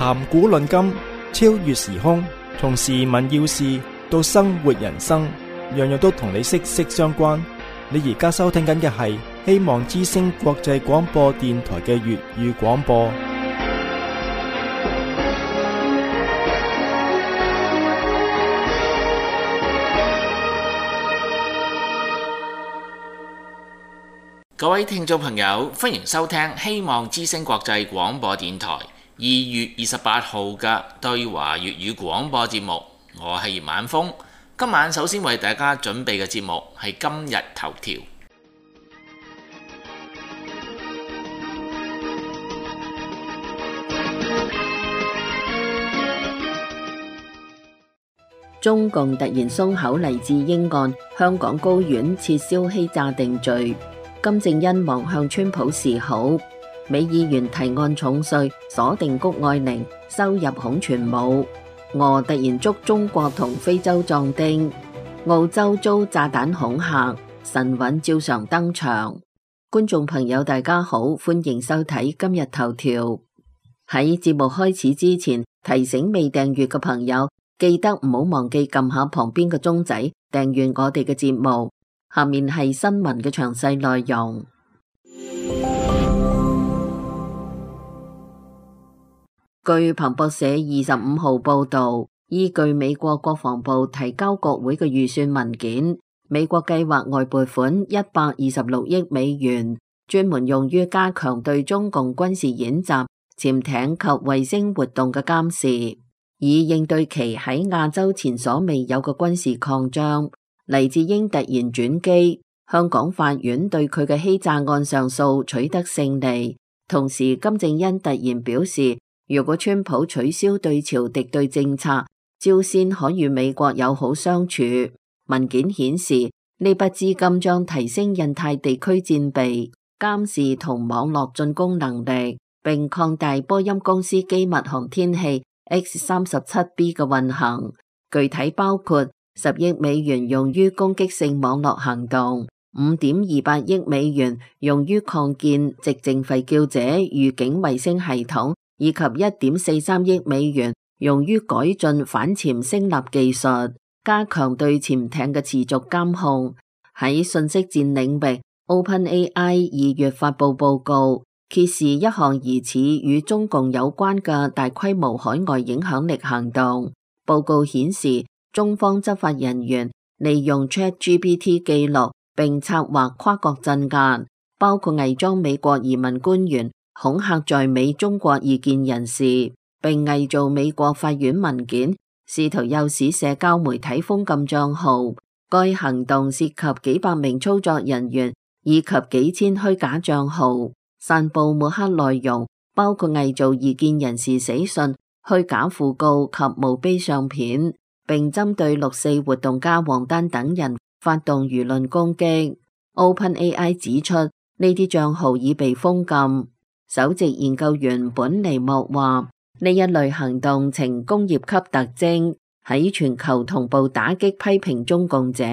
談古論今，超越時空，從時聞要事到生活人生，樣樣都同你息息相關。你而家收聽緊嘅係希望之聲國際廣播電台嘅粵語廣播。各位聽眾朋友，歡迎收聽希望之聲國際廣播電台2月28號嘅對華粵語廣播節目。我係葉晚風，今晚首先為大家準備嘅節目係今日頭條。中共突然鬆口黎智英案，香港高院撤銷欺詐定罪。金正恩望向川普示好，美議員提案重稅，鎖定谷愛凌，收入恐傳武。俄突然捉中國同非洲壯丁，澳洲遭炸彈恐嚇，神韻照常登場。觀眾朋友大家好，歡迎收睇今日頭條。喺節目開始之前，提醒未訂閱嘅朋友，記得唔好忘記撳下旁邊嘅鐘仔，訂閱我哋嘅節目。下面係新聞嘅詳細內容。據彭博社25號報道，依據美國國防部提交國會嘅預算文件，美國計劃外撥款126億美元，專門用於加強對中共軍事演習、潛艇及衛星活動嘅監視，以應對其喺亞洲前所未有嘅軍事擴張。黎智英突然轉機，香港法院對佢嘅欺詐案上訴取得勝利。同時，金正恩突然表示，如果川普取消對朝敵對政策，朝鮮可與美國友好相處。文件顯示，呢筆資金將提升印太地區戰備、監視同網絡進攻能力，並擴大波音公司機密航天器 X-37B 嘅運行，具體包括10億美元用於攻擊性網絡行動，5.28億美元用於擴建寂靜吠叫者預警衛星系統，以及1.43億美元用於改進反潛聲納技術，加強對潛艇嘅持續監控。喺信息戰領域， OpenAI 2月發布報告，揭示一項疑似與中共有關嘅大規模海外影響力行動。報告顯示，中方執法人員利用 ChatGPT 記錄並策劃跨國鎮壓，包括偽裝美國移民官員，恐嚇在美中國異見人士，並偽造美國法院文件，試圖誘使社交媒體封禁賬號。該行動涉及幾百名操作人員以及幾千虛假賬號，散布抹黑內容，包括偽造異見人士死信、虛假訃告及墓碑相片，並針對6·4活動家王丹等人發動輿論攻擊。OpenAI 指出，呢啲賬號已被封禁。首席研究員本尼莫話，呢一類行動呈工業級特徵，喺全球同步打擊批評中共者。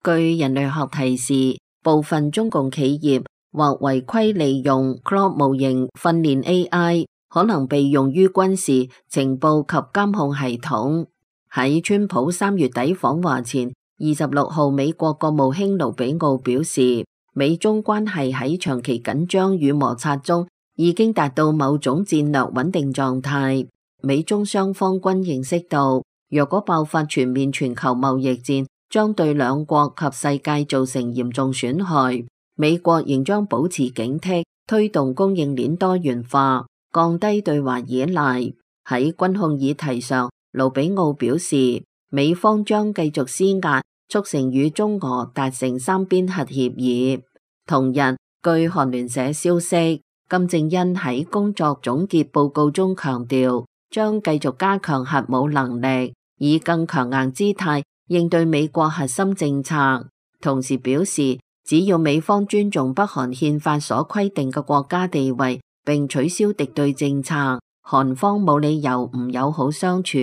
據人類學提示，部分中共企業或違規利用 Claude 模型訓練 AI， 可能被用於軍事、情報及監控系統。喺川普3月底訪華前，26號美國國務卿盧比奧表示，美中關係喺長期緊張與摩擦中已經達到某種戰略穩定狀態。美中雙方均認識到，若果爆發全面全球貿易戰，將對兩國及世界造成嚴重損害。美國仍將保持警惕，推動供應鏈多元化，降低對華依賴。喺軍控議題上，盧比奧表示，美方將繼續施壓，促成與中俄達成3邊核協議。同日，據韓聯社消息，金正恩喺工作總結報告中強調，將繼續加強核武能力，以更強硬姿態應對美國核心政策。同時表示，只要美方尊重北韓憲法所規定嘅國家地位，並取消敵對政策，韓方冇理由唔友好相處。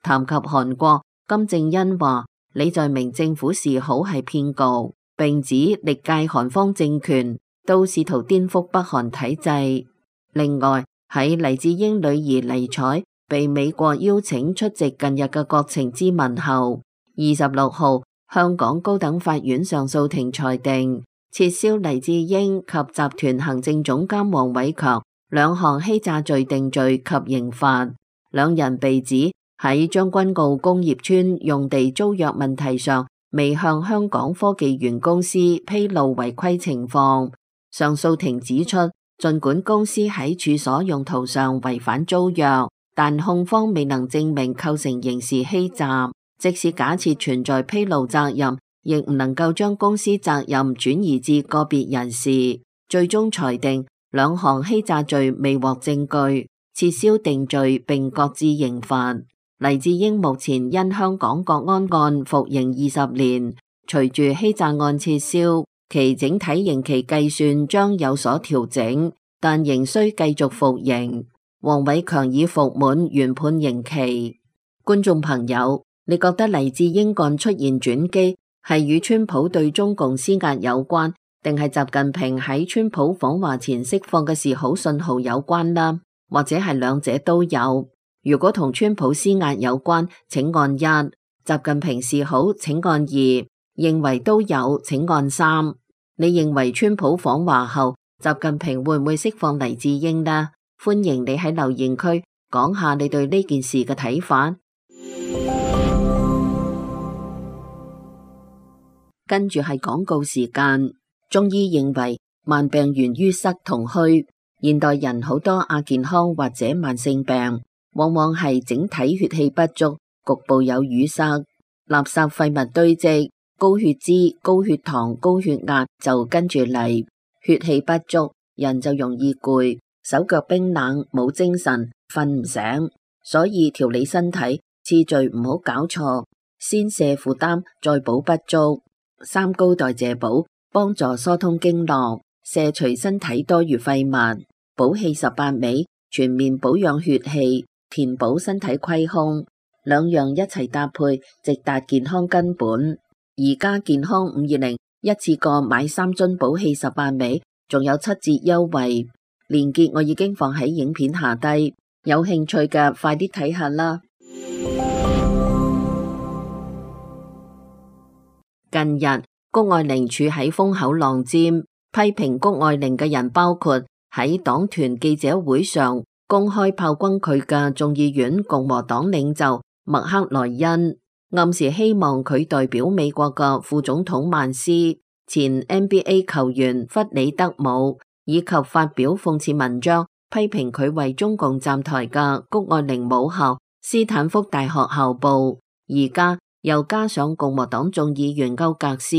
談及韓國，金正恩話，你在明政府示好係騙局，並指歷屆韓方政權都試圖顛覆北韓體制。另外，喺黎智英女兒黎采被美國邀請出席近日嘅國情咨文後，26號香港高等法院上訴庭裁定撤銷黎智英及集團行政總監黃偉強兩項欺詐罪定罪及刑罰。兩人被指喺將軍澳工業村用地租約問題上未向香港科技園公司披露違規情況。上訴庭指出，儘管公司喺處所用途上違反租約，但控方未能證明構成刑事欺詐，即使假設存在披露責任，亦唔能夠將公司責任轉移至個別人士。最終裁定兩項欺詐罪未獲證據，撤銷定罪並各自刑罰。黎智英目前因香港國安案服刑20年，隨住欺詐案撤銷，其整體刑期計算將有所調整，但仍需繼續服刑。黃偉強已服滿原判刑期。觀眾朋友，你覺得黎智英案出現轉機係與川普對中共施壓有關，定係習近平喺川普訪華前釋放嘅示好信號有關呢？或者係兩者都有？如果同川普施壓有關，請按1；習近平示好，請按2；認為都有，請按3。你認為川普訪華後，習近平會唔會釋放黎智英呢？歡迎你喺留言區講下你對呢件事嘅睇法。跟住係廣告時間。中醫認為慢病源於塞同虛，現代人好多亞健康或者慢性病，往往係整體血氣不足，局部有淤塞，垃圾廢物堆積，高血脂、高血糖、高血壓就跟住嚟。血氣不足，人就容易攰，手腳冰冷，冇精神，瞓唔醒。所以調理身體次序唔好搞錯，先卸負擔，再補不足。三高代謝補幫助疏通經絡，卸除身體多餘廢物。補氣18味全面保養血氣，填補身體虧空，兩樣一齊搭配，直達健康根本。而家健康520一次過買3樽補氣18味，仲有7折優惠，鏈接我已經放喺影片下低，有興趣嘅快啲睇下啦。近日谷愛凌處喺風口浪尖，批評谷愛凌嘅人包括喺黨團記者會上公開炮轟佢嘅眾議院共和黨領袖麥克萊恩，暗示希望佢代表美國嘅副總統曼斯、前 NBA 球員弗里德姆，以及發表諷刺文章批評佢為中共站台嘅谷愛凌母校斯坦福大學校報。而家又加上共和黨眾議員歐格斯。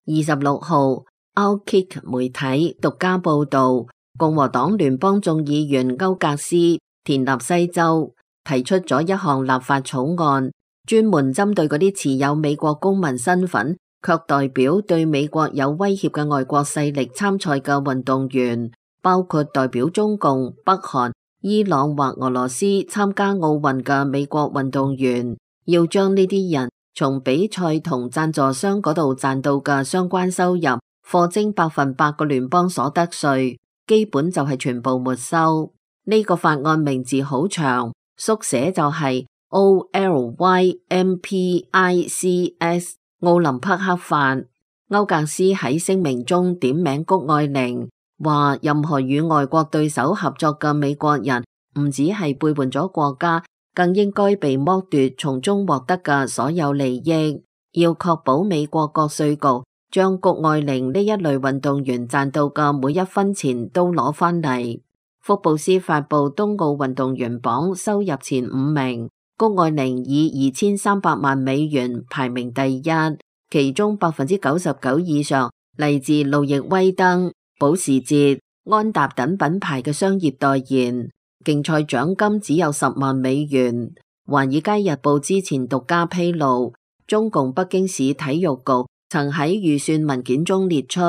26號 Outkick 媒體獨家報道，共和黨聯邦眾議員歐格斯田納西州提出咗一項立法草案，專門針對嗰啲持有美國公民身份卻代表對美國有威脅嘅外國勢力參賽嘅運動員，包括代表中共、北韓、伊朗或俄羅斯參加奧運嘅美國運動員，要將呢啲人從比賽同贊助商嗰度賺到嘅相關收入課徵100%嘅聯邦所得稅，基本就係全部沒收。呢個法案名字好長，縮寫就係 OLYMPICS 奧林匹克法。歐格斯喺聲明中點名谷愛凌，話任何與外國對手合作嘅美國人唔只係背叛咗國家，更應該被剝奪從中獲得嘅所有利益，要確保美國國稅局將谷愛凌呢一類運動員賺到嘅每一分錢都攞返嚟。福布斯發佈冬奧運動員榜收入前5名，谷愛凌以2300萬美元排名第一，其中 99% 以上嚟自路易威登、保時捷、安踏等品牌嘅商業代言。競賽獎金只有10萬美元。華爾街日報之前獨家披露，中共北京市體育局曾喺預算文件中列出，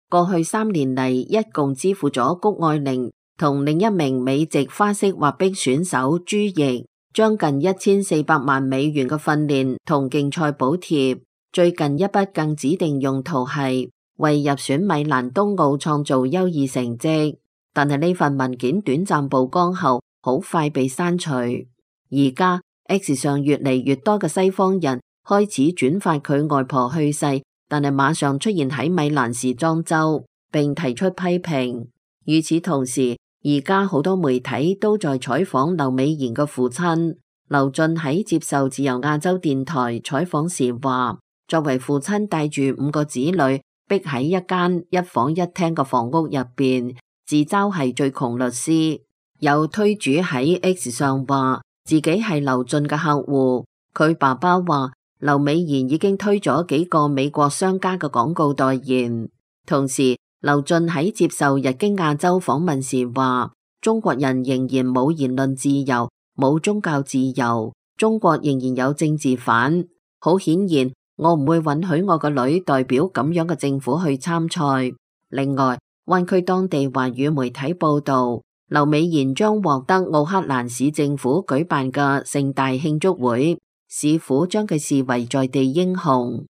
過去3年嚟一共支付咗谷愛凌同另一名美籍花式滑冰選手朱易將近1400萬美元嘅訓練同競賽補貼。最近一筆更指定用途係為入選米蘭冬奧創造優異成績。但係呢份文件短暫曝光後，好快被刪除。而家 X 上越嚟越多嘅西方人開始轉發佢外婆去世，但係馬上出現喺米蘭時裝周，並提出批評。與此同時，而家好多媒體都在採訪劉美賢嘅父親。劉俊喺接受自由亞洲電台採訪時話，作為父親帶住5個子女，逼喺一間1房1廳嘅房屋入邊，自嘲係最窮律師。有推主喺 X 上話自己係劉俊嘅客戶，佢爸爸話劉美賢已經推咗幾個美國商家嘅廣告代言。同時，劉俊喺接受日經亞洲訪問時話，中國人仍然冇言論自由，冇宗教自由，中國仍然有政治犯。好顯然，我唔會允許我個女代表咁樣嘅政府去參賽。另外，灣區當地華語媒體報道，劉美賢將獲得奧克蘭市政府舉辦嘅盛大慶祝會，市府將佢視為在地英雄。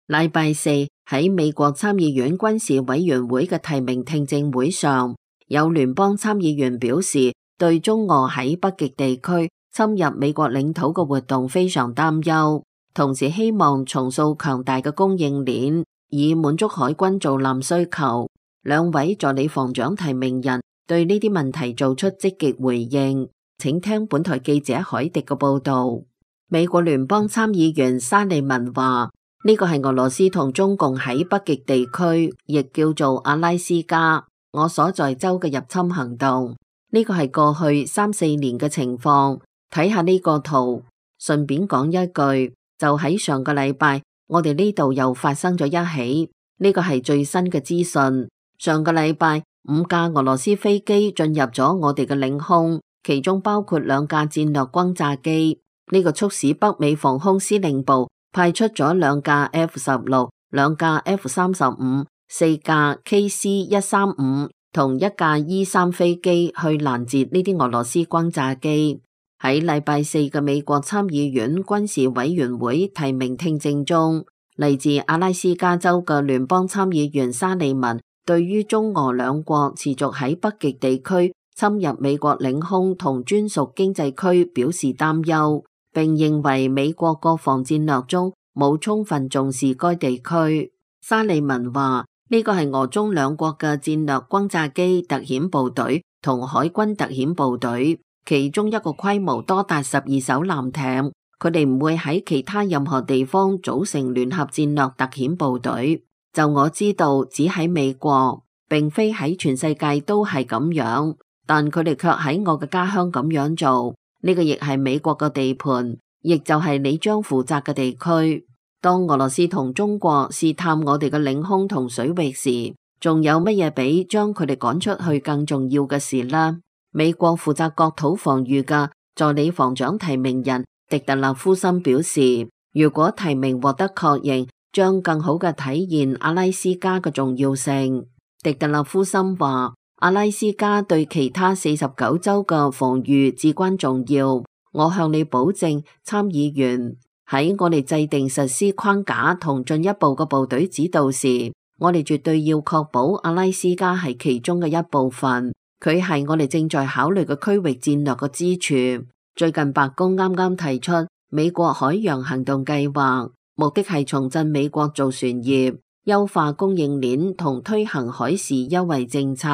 禮拜四喺美國參議院軍事委員會嘅提名聽證會上，有聯邦參議員表示對中俄喺北極地區侵入美國領土嘅活動非常擔憂，同時希望重塑強大嘅供應鏈，以滿足海軍造艦需求。兩位助理防長提名人對呢啲問題做出積極回應。請聽本台記者海迪嘅報道。美國聯邦參議員沙利文話，呢個係俄羅斯同中共喺北極地區，亦叫做阿拉斯加，我所在州嘅入侵行動。呢個係過去3-4年嘅情況。睇下呢個圖，順便講一句，就喺上個禮拜，我哋呢度又發生咗一起。呢個係最新嘅資訊。上個禮拜5架俄羅斯飛機進入咗我哋嘅領空，其中包括2架戰略轟炸機。呢個促使北美防空司令部派出咗2架 F-16、2架 F-35、4架 KC-135同1架 E-3飛機去攔截呢啲俄羅斯轟炸機。喺禮拜四嘅美國參議院軍事委員會提名聽證中，嚟自阿拉斯加州嘅聯邦參議員沙利文對於中俄兩國持續喺北極地區侵入美國領空同專屬經濟區表示擔憂，並認為美國國防戰略中冇充分重視該地區。沙利文話，呢個係俄中兩國嘅戰略轟炸機特遣部隊同海軍特遣部隊，其中一個規模多達12艘艦艇，佢哋唔會喺其他任何地方組成聯合戰略特遣部隊。就我知道，只喺美國，並非喺全世界都係咁樣，但佢哋卻喺我嘅家鄉咁樣做。呢個亦係美國嘅地盤，亦就係你將負責嘅地區。當俄羅斯同中國試探我哋嘅領空同水域時，仲有乜嘢比將佢哋趕出去更重要嘅事呢？美國負責國土防禦嘅助理防長提名人迪特勒夫森表示，如果提名獲得確認，將更好嘅體現阿拉斯加嘅重要性。迪特勒夫森話，阿拉斯加對其他49州嘅防禦至關重要。我向你保證，參議員，喺我哋制定實施框架同進一步嘅部隊指導時，我哋絕對要確保阿拉斯加係其中嘅一部分。佢係我哋正在考慮嘅區域戰略嘅支柱。最近白宮啱啱提出美國海洋行動計劃，目的係重振美國造船業，優化供應鏈同推行海事優惠政策。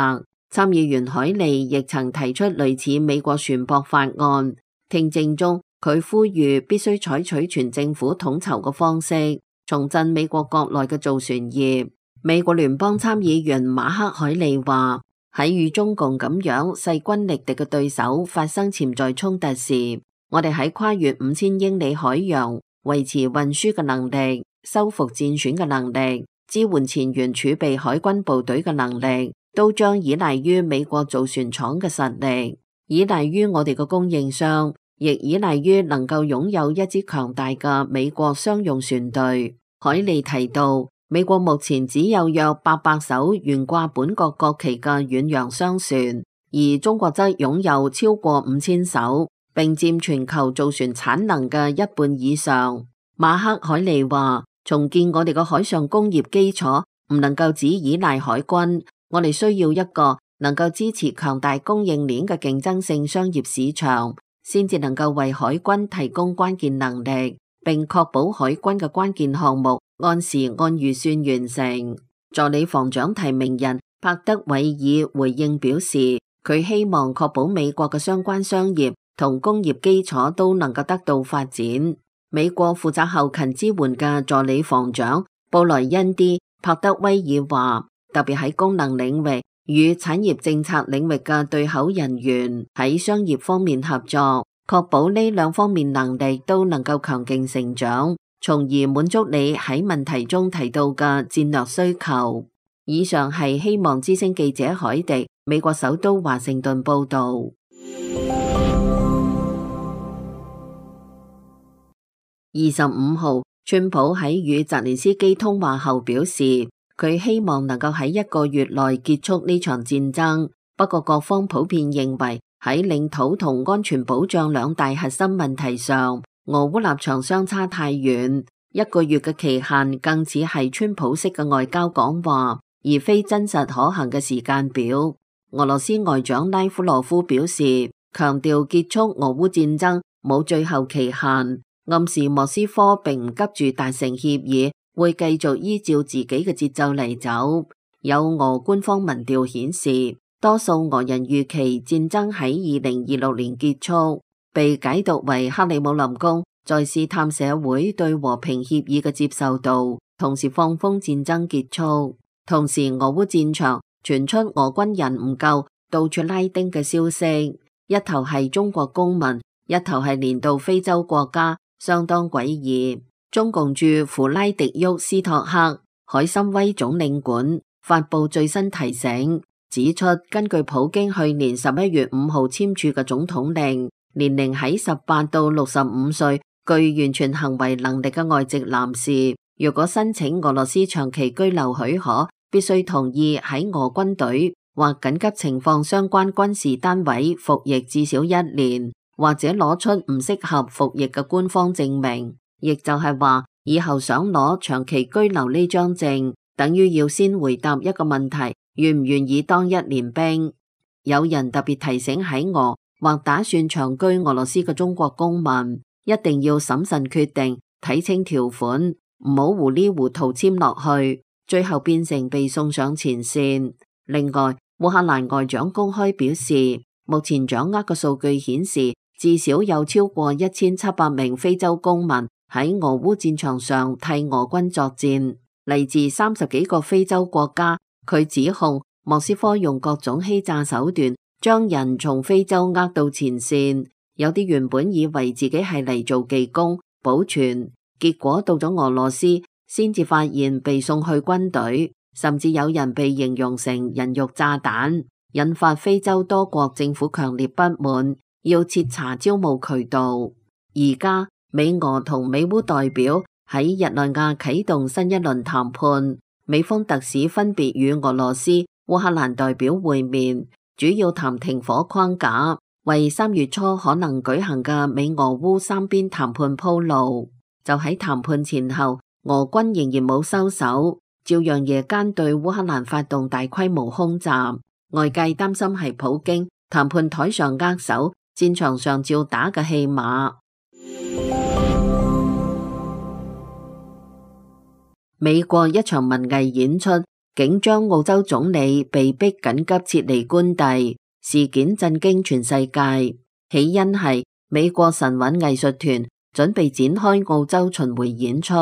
參議員海利亦曾提出類似美國船舶法案。聽證中，佢呼籲必須採取全政府統籌嘅方式，重振美國國內嘅造船業。美國聯邦參議員馬克海利話，喺與中共咁樣勢均力敵嘅對手發生潛在衝突時，我哋喺跨越5000英里海洋、維持運輸嘅能力、收復戰損嘅能力、支援前沿儲備海軍部隊嘅能力，都將依賴於美國造船廠嘅實力，依賴於我哋嘅供應商，亦依賴於能夠擁有一支強大嘅美國商用船隊。海利提到，美國目前只有約800艘懸掛本國國旗嘅遠洋商船，而中國則擁有超過5000艘，並佔全球造船產能嘅1半以上。馬克海利話，重建我哋嘅海上工業基礎唔能夠只依賴海軍，我哋需要一個能夠支持強大供應鏈嘅競爭性商業市場，先至能夠為海軍提供關鍵能力，並確保海軍嘅關鍵項目按時按預算完成。助理防長提名人帕德韋爾回應表示，佢希望確保美國嘅相關商業同工業基礎都能夠得到發展。美國負責後勤支援嘅助理防長布萊恩 ·D· 帕德威爾話，特別喺功能領域與產業政策領域嘅對口人員喺商業方面合作，確保呢兩方面能力都能夠強勁成長，從而滿足你喺問題中提到嘅戰略需求。以上係希望之聲記者海迪，美國首都華盛頓報道。25號，川普喺與澤連斯基通話後表示，佢希望能夠喺1個月內結束呢場戰爭。不過各方普遍認為喺領土同安全保障兩大核心問題上，俄烏立場相差太遠。1個月嘅期限更似係川普式嘅外交講話，而非真實可行嘅時間表。俄羅斯外長拉夫羅夫表示，強調結束俄烏戰爭冇最後期限，暗示莫斯科並唔急住達成協議，會繼續依照自己嘅節奏嚟走。有俄官方民調顯示，多數俄人預期戰爭喺2026年結束，被解讀為克里姆林宮在試探社會對和平協議嘅接受度，同時放風戰爭結束。同時，俄烏戰場傳出俄軍人唔夠，到處拉丁嘅消息，一頭係中國公民，一頭係連到非洲國家，相當詭異。中共駐弗拉迪沃斯托克海參崴總領館發布最新提醒，指出根據普京去年11月5號簽署嘅總統令，年齡喺18到65歲具完全行為能力嘅外籍男士，如果申請俄羅斯長期居留許可，必須同意喺俄軍隊或緊急情況相關軍事單位服役至少1年，或者攞出唔適合服役嘅官方證明。亦就係話，以後想攞長期居留呢張證，等於要先回答一個問題：願唔願意當1年兵？有人特別提醒喺俄或打算長居俄羅斯嘅中國公民，一定要審慎決定，睇清條款，唔好糊裡糊塗簽落去，最後變成被送上前線。另外，烏克蘭外長公開表示，目前掌握嘅數據顯示，至少有超過1700名非洲公民喺俄烏戰場上替俄軍作戰，嚟自30幾個非洲國家。佢指控莫斯科用各種欺詐手段將人從非洲呃到前線，有啲原本以為自己係嚟做技工保存，結果到咗俄羅斯先至發現被送去軍隊，甚至有人被形容成人肉炸彈，引發非洲多國政府強烈不滿，要徹查招募渠道。而家美俄同美烏代表喺日內瓦啟動新一輪談判，美方特使分別與俄羅斯、烏克蘭代表會面，主要談停火框架，為3月初可能舉行嘅美俄烏三邊談判鋪路。就喺談判前後，俄軍仍然冇收手，照樣夜間對烏克蘭發動大規模空襲。外界擔心係普京談判台上握手，戰場上照打嘅戲碼。美國一場文藝演出，竟將澳洲總理被逼緊急撤離官邸，事件震驚全世界。起因係美國神韻藝術團準備展開澳洲巡迴演出，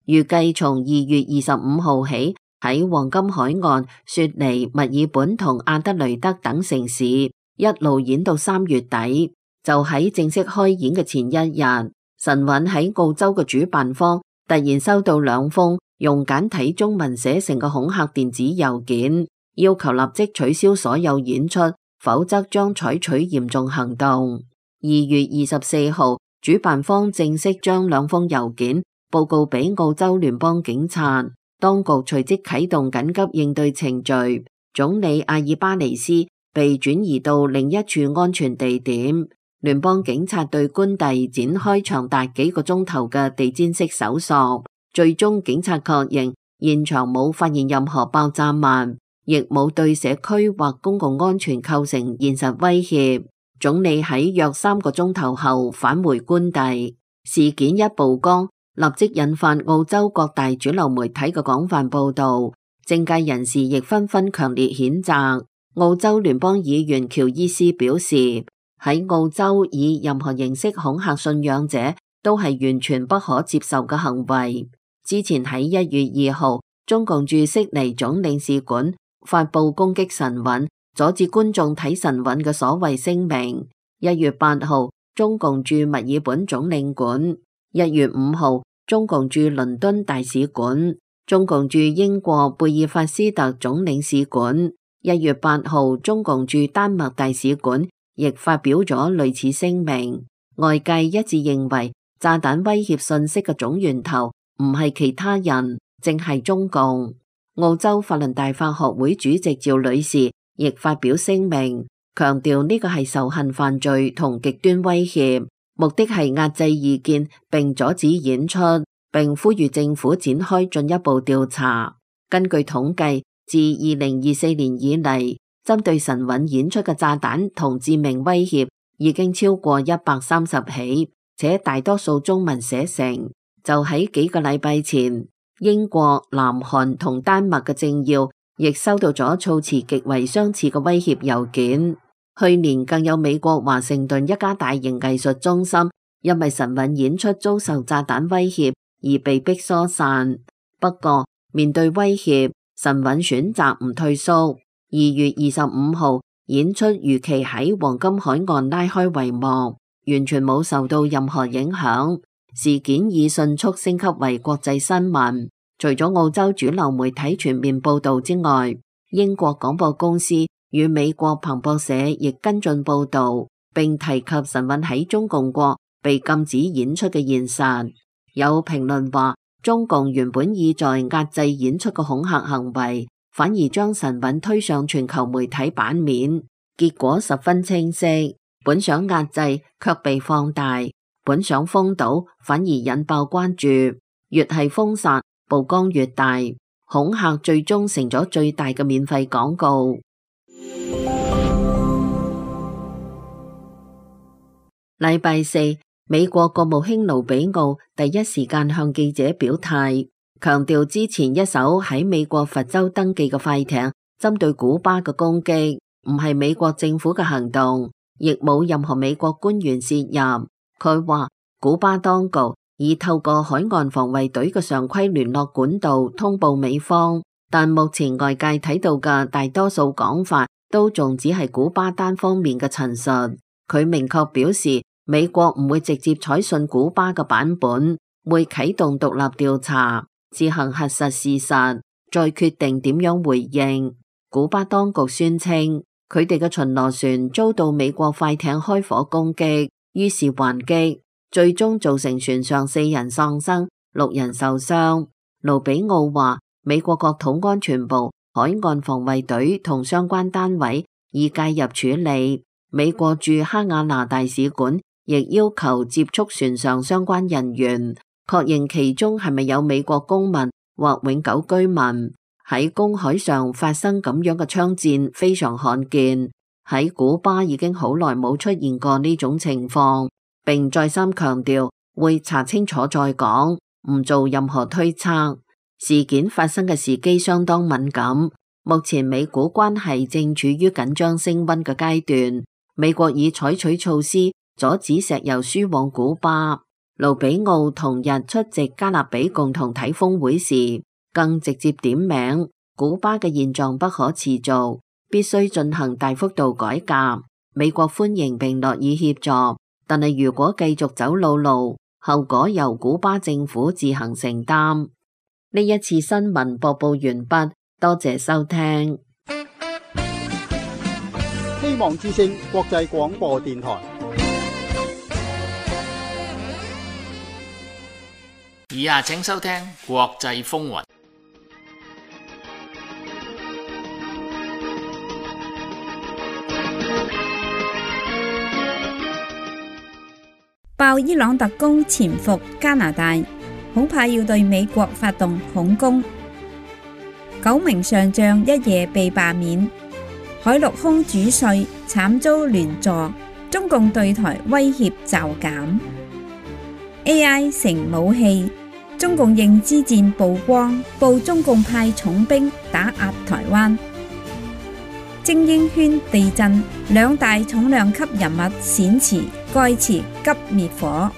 預計從2月25號起喺黃金海岸、雪梨、墨爾本同阿德雷德等城市一路演到3月底。就喺正式開演嘅前一日，神韻喺澳洲嘅主辦方突然收到2封用簡體中文寫成嘅恐嚇電子郵件，要求立即取消所有演出，否則將採取嚴重行動。2月24號，主辦方正式將2封郵件報告俾澳洲聯邦警察，當局隨即啟動緊急應對程序，總理阿爾巴尼斯被轉移到另一處安全地點。聯邦警察對官邸展開長達幾個鐘頭嘅地毯式搜索，最終警察確認現場冇發現任何爆炸物，亦冇對社區或公共安全構成現實威脅。總理喺約3個鐘頭後返回官邸。事件一曝光，立即引發澳洲各大主流媒體嘅廣泛報道，政界人士亦紛紛強烈譴責。澳洲聯邦議員喬伊斯表示，喺澳洲以任何形式恐嚇信仰者都係完全不可接受嘅行為。之前喺1月2號，中共駐悉尼總領事館發布攻擊神韻、阻止觀眾睇神韻嘅所謂聲明。1月8號，中共駐墨爾本總領館；1月5號，中共駐倫敦大使館；中共駐英國貝爾法斯特總領事館；1月8號，中共駐丹麥大使館亦發表咗類似聲明。外界一致認為，炸彈威脅信息嘅總源頭唔係其他人，正係中共。澳洲法輪大法學會主席趙女士亦發表聲明，強調呢個係仇恨犯罪同極端威脅，目的係壓制異見並阻止演出，並呼籲政府展開進一步調查。根據統計，自2024年以嚟，針對神韻演出嘅炸彈同致命威脅已經超過130起，且大多數中文寫成。就喺幾個禮拜前，英國、南韓同丹麥嘅政要亦收到咗措辭極為相似嘅威脅郵件。去年更有美國華盛頓一家大型藝術中心因為神韻演出遭受炸彈威脅而被迫疏散。不過面對威脅，神韻選擇唔退縮。2月25號，演出如期喺黃金海岸拉開帷幕，完全冇受到任何影響。事件已迅速升級為國際新聞。除咗澳洲主流媒體全面報道之外，英國廣播公司與美國彭博社亦跟進報道，並提及神韻喺中共國被禁止演出嘅現實。有評論話，中共原本意在壓制演出嘅恐嚇行為，反而將神韻推上全球媒體版面，結果十分清晰。本想壓制，卻被放大；本想封堵，反而引爆關注。越係封殺，曝光越大，恐嚇最終成咗最大嘅免費廣告。禮拜四，美國國務卿盧比奧第一時間向記者表態，強調之前一艘喺美國佛州登記嘅快艇針對古巴嘅攻擊唔係美國政府嘅行動，亦冇任何美國官員涉入。佢話古巴當局已透過海岸防衛隊嘅常規聯絡管道通報美方，但目前外界睇到嘅大多數講法都仲只係古巴單方面嘅陳述。佢明確表示，美國唔會直接採信古巴嘅版本，會啟動獨立調查，自行核實事實，再決定點樣回應。古巴當局宣稱，佢哋嘅巡邏船遭到美國快艇開火攻擊，於是還擊，最終造成船上4人喪生，6人受傷。盧比奧話，美國國土安全部、海岸防衛隊同相關單位已介入處理。美國駐哈瓦那大使館亦要求接觸船上相關人員，確認其中係咪有美國公民或永久居民。喺公海上發生咁樣嘅槍戰非常罕見，喺古巴已經好耐冇出現過呢種情況，並再三強調會查清楚再講，唔做任何推測。事件發生嘅時機相當敏感，目前美古關係正處於緊張升溫嘅階段，美國已採取措施阻止石油輸往古巴。盧比奧同日出席加勒比共同體峰會時，更直接點名古巴嘅現狀不可持續，必須進行大幅度改革。美國歡迎並樂意協助，但係如果繼續走老路，後果由古巴政府自行承擔。呢一次新聞播報完畢，多謝收聽。希望之聲國際廣播電台。以下請收聽國際風雲。爆伊朗特工潛伏加拿大。恐怕要對美國發動恐攻。9名上將一夜被罷免，海陸空主帥慘遭連坐，中共對台威脅驟減。AI 成武器，中共認知戰曝光，報中共派重兵打壓台灣。精英圈地震，兩大重量級人物閃辭，蓋茨急滅火。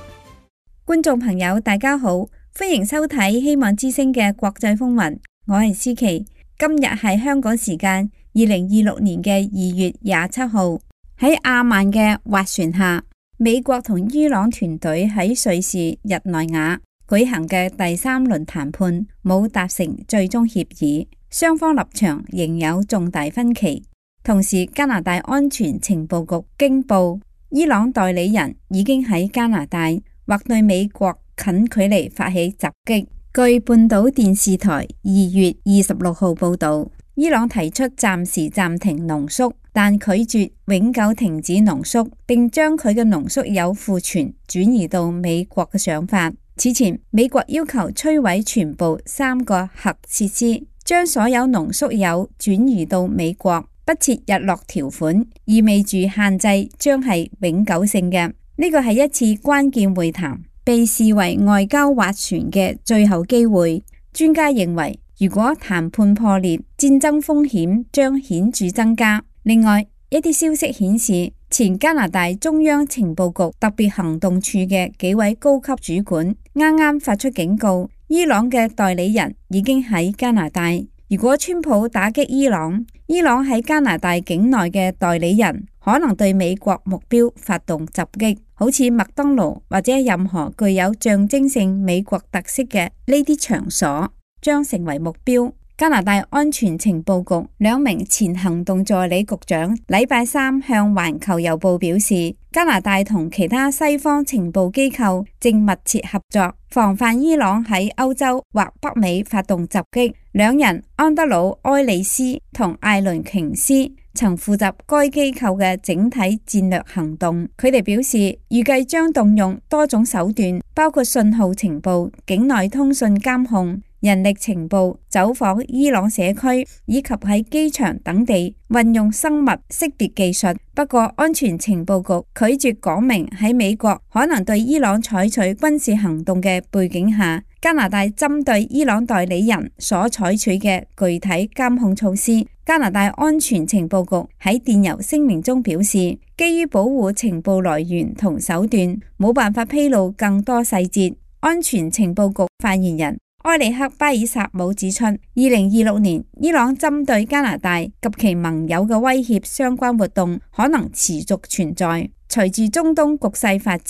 觀眾朋友大家好，歡迎收睇希望之聲嘅國際風雲，我係思琪。今日係香港時間2026年嘅2月27號，喺阿曼嘅斡旋下，美國同伊朗團隊喺瑞士日內瓦舉行嘅第3輪談判冇達成最終協議，雙方立場仍有重大分歧。同時，加拿大安全情報局驚報，伊朗代理人已經喺加拿大或對美國近距離發起襲擊。據半島電視台2月26號報道，伊朗提出暫時暫停濃縮，但拒絕永久停止濃縮，並將佢嘅濃縮鈾庫存轉移到美國嘅想法。此前，美國要求摧毀全部3個核設施，將所有濃縮鈾轉移到美國。不設日落條款，意味住限制將係永久性嘅。呢個係一次關鍵會談，被視為外交斡旋嘅最後機會。專家認為，如果談判破裂，戰爭風險將顯著增加。另外，一啲消息顯示，前加拿大中央情報局特別行動處嘅幾位高級主管啱啱發出警告，伊朗嘅代理人已經喺加拿大。如果川普打擊伊朗，伊朗喺加拿大境內嘅代理人可能對美國目標發動襲擊，好似麥當勞或者任何具有象徵性美國特色嘅呢啲場所將成為目標。加拿大安全情報局2名前行動助理局長禮拜3向環球郵報表示，加拿大同其他西方情報機構正密切合作，防範伊朗喺歐洲或北美發動襲擊。2人安德魯埃里斯同艾倫瓊斯曾負責該機構嘅整體戰略行動。佢哋表示，預計將動用多種手段，包括信號情報、境內通訊監控、人力情報、走訪伊朗社區以及喺機場等地運用生物識別技術。不過，安全情報局拒絕講明喺美國可能對伊朗採取軍事行動嘅背景下，加拿大針對伊朗代理人所採取嘅具體監控措施。加拿大安全情報局喺電郵聲明中表示，基於保護情報來源同手段，冇辦法披露更多細節。安全情報局發言人埃里克巴爾薩姆指出，2026年伊朗針對加拿大及其盟友嘅威脅相關活動可能持續存在。隨住中東局勢發展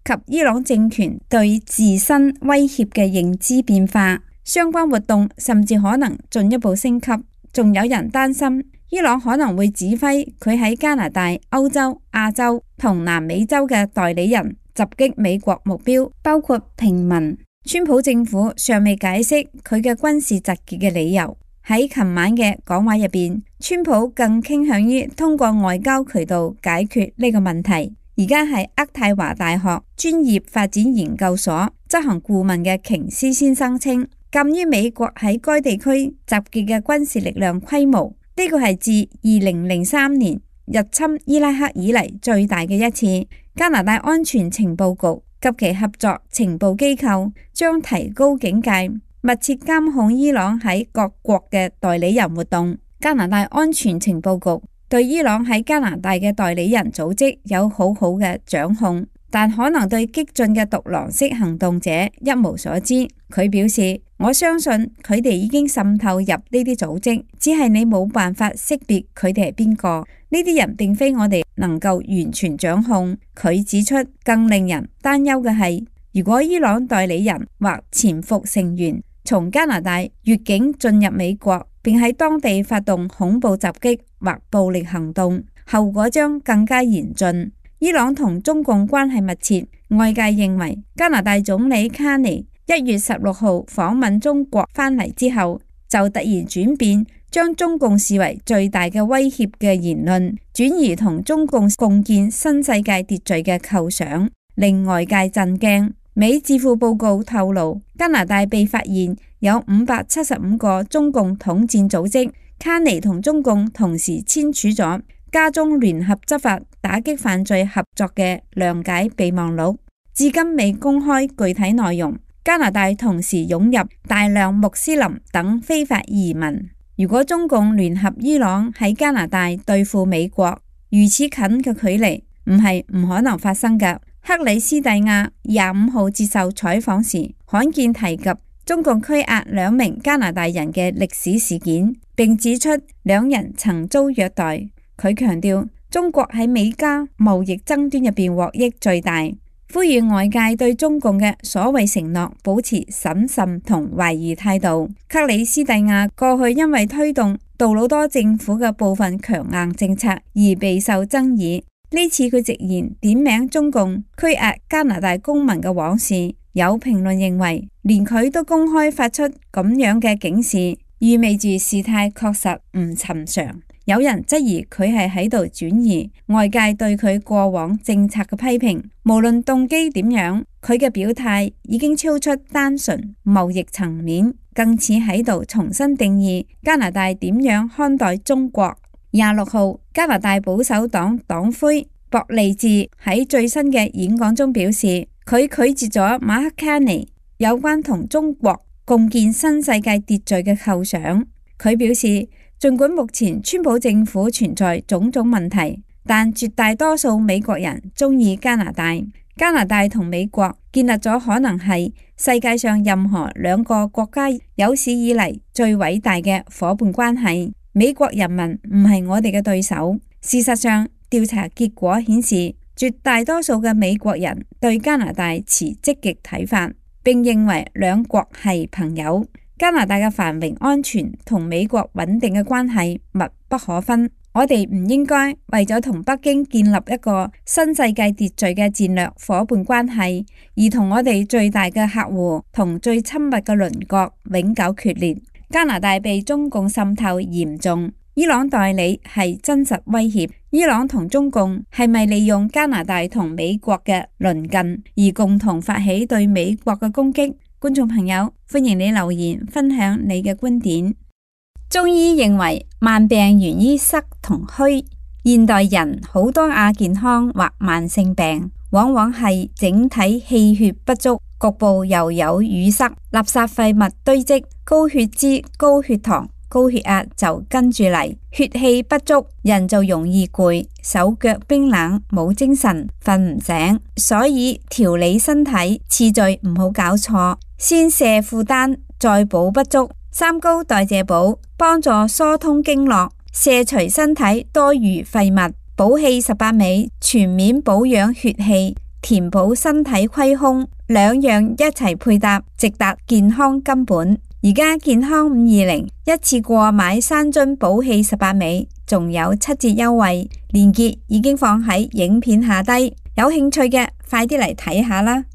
及伊朗政權對自身威脅嘅認知變化，相關活動甚至可能進一步升級。仲有人擔心伊朗可能會指揮佢喺加拿大、歐洲、亞洲同南美洲嘅代理人襲擊美國目標，包括平民。川普政府尚未解釋佢嘅軍事集結嘅理由。喺琴晚嘅講話入邊，川普更傾向於通過外交渠道解決呢個問題。而家係渥太華大學專業發展研究所執行顧問嘅瓊斯先生稱，鑒於美國喺該地區集結嘅軍事力量規模，呢個係自2003年入侵伊拉克以嚟最大嘅一次。加拿大安全情報局及其合作情報機構將提高警戒，密切監控伊朗喺各國嘅代理人活動。加拿大安全情報局對伊朗喺加拿大嘅代理人組織有好好嘅掌控，但可能對激進嘅獨狼式行動者一無所知。佢表示，我相信佢哋已經滲透入呢啲組織，只係你冇辦法識別佢哋係邊個。呢啲人並非我哋能夠完全掌控。佢指出，更令人擔憂嘅係，如果伊朗代理人或潛伏成員從加拿大越境進入美國，並喺當地發動恐怖襲擊或暴力行動，後果將更加嚴峻。伊朗同中共關係密切，外界認為加拿大總理卡尼1月16號訪問中國返嚟之後，就突然轉變，將中共視為最大嘅威脅嘅言論轉移同中共共建新世界秩序嘅構想，令外界震驚。美智庫報告透露，加拿大被發現有575個中共統戰組織，卡尼同中共同時簽署咗加中聯合執法打擊犯罪合作嘅諒解備忘錄，至今未公開具體內容。加拿大同時湧入大量穆斯林等非法移民。如果中共聯合伊朗喺加拿大對付美國，如此近嘅距離唔係唔可能發生㗎。克里斯蒂亞25號接受採訪時，罕見提及中共拘押2名加拿大人嘅歷史事件，並指出2人曾遭虐待。佢強調中國喺美加貿易爭端入邊獲益最大，呼籲外界對中共嘅所謂承諾保持審慎同懷疑態度。克里斯蒂亞過去因為推動杜魯多政府嘅部分強硬政策而備受爭議，呢次佢直言點名中共拘押加拿大公民嘅往事。有評論認為，連佢都公開發出咁樣嘅警示，意味住事態確實唔尋常。有人質疑佢係喺度轉移外界對佢過往政策嘅批評，無論動機點樣，佢嘅表態已經超出單純貿易層面，更似喺度重新定義加拿大點樣看待中國。26號，加拿大保守黨黨魁博利治喺最新嘅演講中表示，佢拒絕咗馬克卡尼有關同中國共建新世界秩序嘅構想。佢表示，儘管目前川普政府存在種種問題，但絕大多數美國人鍾意加拿大。加拿大同美國建立咗可能係世界上任何2個國家有史以嚟最偉大嘅夥伴關係。美國人民唔係我哋嘅對手。事實上，調查結果顯示，絕大多數嘅美國人對加拿大持積極睇法，並認為2國係朋友。加拿大嘅繁榮安全同美國穩定嘅關係密不可分。我哋唔應該為咗同北京建立一個新世界秩序嘅戰略夥伴關係，而同我哋最大嘅客戶同最親密嘅鄰國永久決裂。加拿大被中共滲透嚴重，伊朗代理係真實威脅。伊朗同中共係咪利用加拿大同美國嘅鄰近而共同發起對美國嘅攻擊？觀眾朋友，歡迎你留言分享你嘅觀點。中醫認為慢病源於濕同虛，現代人好多亞健康或慢性病，往往係整體氣血不足，局部又有淤塞，垃圾廢物堆積，高血脂、高血糖、高血壓就跟住嚟，血氣不足，人就容易攰，手腳冰冷，冇精神，瞓唔醒。所以調理身體次序唔好搞錯，先卸負擔，再補不足。三高代謝補幫助疏通經絡，卸除身體多餘廢物。補氣18味全面保養血氣，填補身體虧空，2樣一齊配搭，直達健康根本。而家健康520一次過買3樽補氣18味，仲有7折優惠，鏈接已經放喺影片下低，有興趣嘅快啲嚟睇下啦。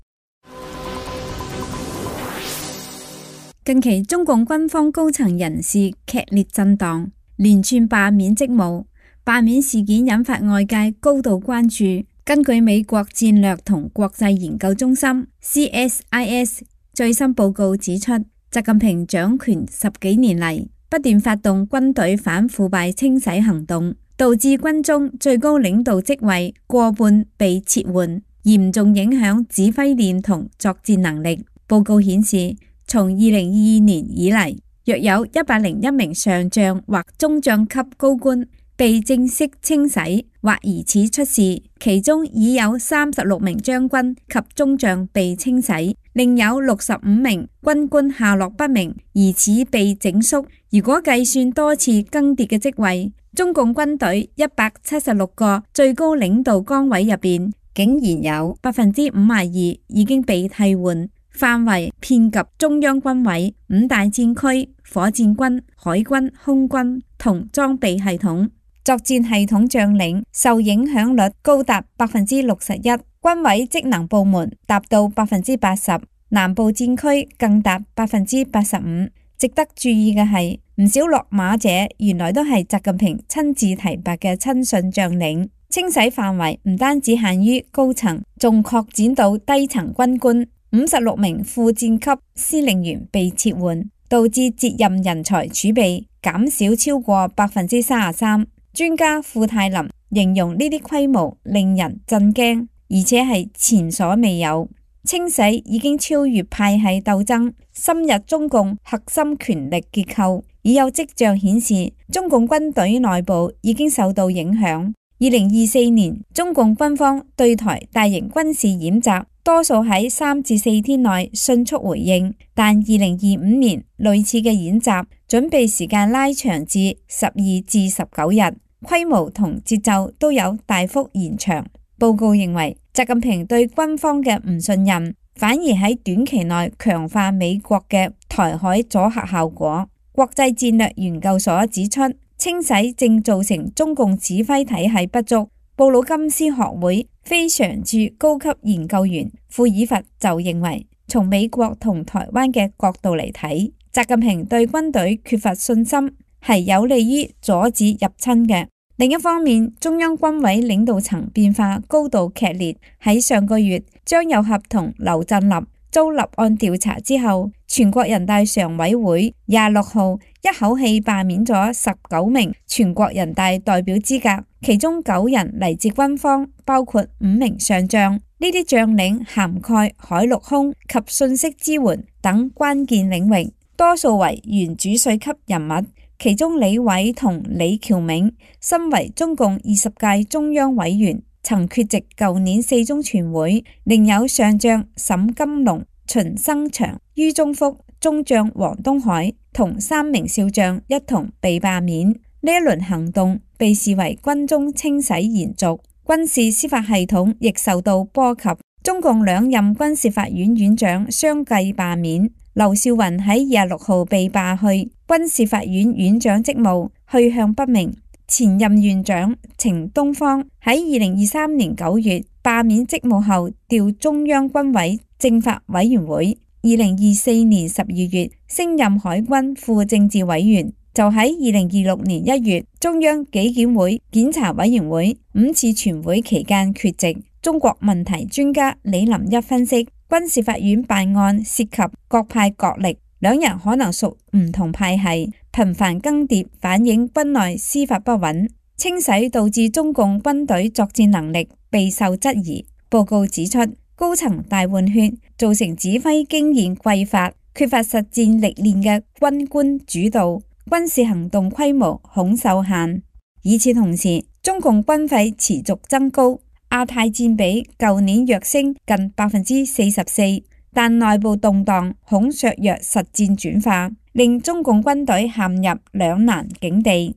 近期中共軍方高層人士劇烈震盪，連串罷免職務，罷免事件引發外界高度關注。根據美國戰略同國際研究中心 CSIS 最新報告指出，習近平掌權10幾年嚟，不斷發動軍隊反腐敗清洗行動，導致軍中最高領導職位過半被撤換，嚴重影響指揮鏈同作戰能力。報告顯示，從2022年以嚟，約有101名上將或中將級高官被正式清洗或疑似出事，其中已有36名將軍及中將被清洗，另有65名軍官下落不明，疑似被整肅。如果計算多次更迭嘅職位，中共軍隊176個最高領導崗位入邊，竟然有52%已經被替換。範圍遍及中央軍委、5大戰區、火箭軍、海軍、空軍同裝備系統。作戰系統將領受影響率高達61%，軍委職能部門達到80%，南部戰區更達85%。值得注意嘅係，唔少落馬者原來都係習近平親自提拔嘅親信將領。清洗範圍唔單止限於高層，仲擴展到低層軍官。56名副戰級司令員被撤換，導致接任人才儲備減少超過33%。專家庫泰林形容呢啲規模令人震驚，而且係前所未有。清洗已經超越派系鬥爭，深入中共核心權力結構，已有跡象顯示中共軍隊內部已經受到影響。2024年，中共軍方對台大型軍事演習多數喺3至4天內迅速回應，但2025年類似嘅演習準備時間拉長至12至19日，規模同節奏都有大幅延長。報告認為，習近平對軍方嘅唔信任，反而喺短期內強化美國嘅台海阻嚇效果。國際戰略研究所指出，清洗正造成中共指揮體系不足。布魯金斯學會非常駐高級研究員庫爾佛就認為，從美國同台灣嘅角度嚟睇，習近平對軍隊缺乏信心，係有利於阻止入侵嘅。另一方面，中央軍委領導層變化高度劇烈。喺上個月，張又俠同劉振立遭立案調查之後，全國人大常委會26號一口氣罷免咗19名全國人大代表資格，其中9人嚟自軍方，包括5名上將。呢啲將領涵蓋海陸空及信息支援等關鍵領域，多數為原主帥級人物。其中李偉同李翹銘身為中共20屆中央委員，曾缺席舊年4中全會，另有上將沈金龍、秦生祥、于宗福、中將黃東海同3名少將一同被罷免。呢一輪行動被視為軍中清洗延續，軍事司法系統亦受到波及。中共2任軍事法院院長相繼罷免，劉少雲喺26號被罷去軍事法院院長職務，去向不明。前任院長程東方喺2023年9月罷免職務後調中央軍委政法委員會，2024年12月升任海軍副政治委員，就喺2026年1月中央紀檢會檢查委員會5次全會期間缺席。中國問題專家李林一分析，軍事法院辦案涉及各派角力，2人可能屬唔同派系，頻繁更迭反映軍內司法不穩，清洗導致中共軍隊作戰能力備受質疑。報告指出，高層大換血造成指揮經驗匱乏，缺乏實戰歷練嘅軍官主導，軍事行動規模恐受限。與此同時，中共軍費持續增高，亞太佔比舊年躍升近44%，但內部動盪恐削弱實戰轉化，令中共軍隊陷入兩難境地。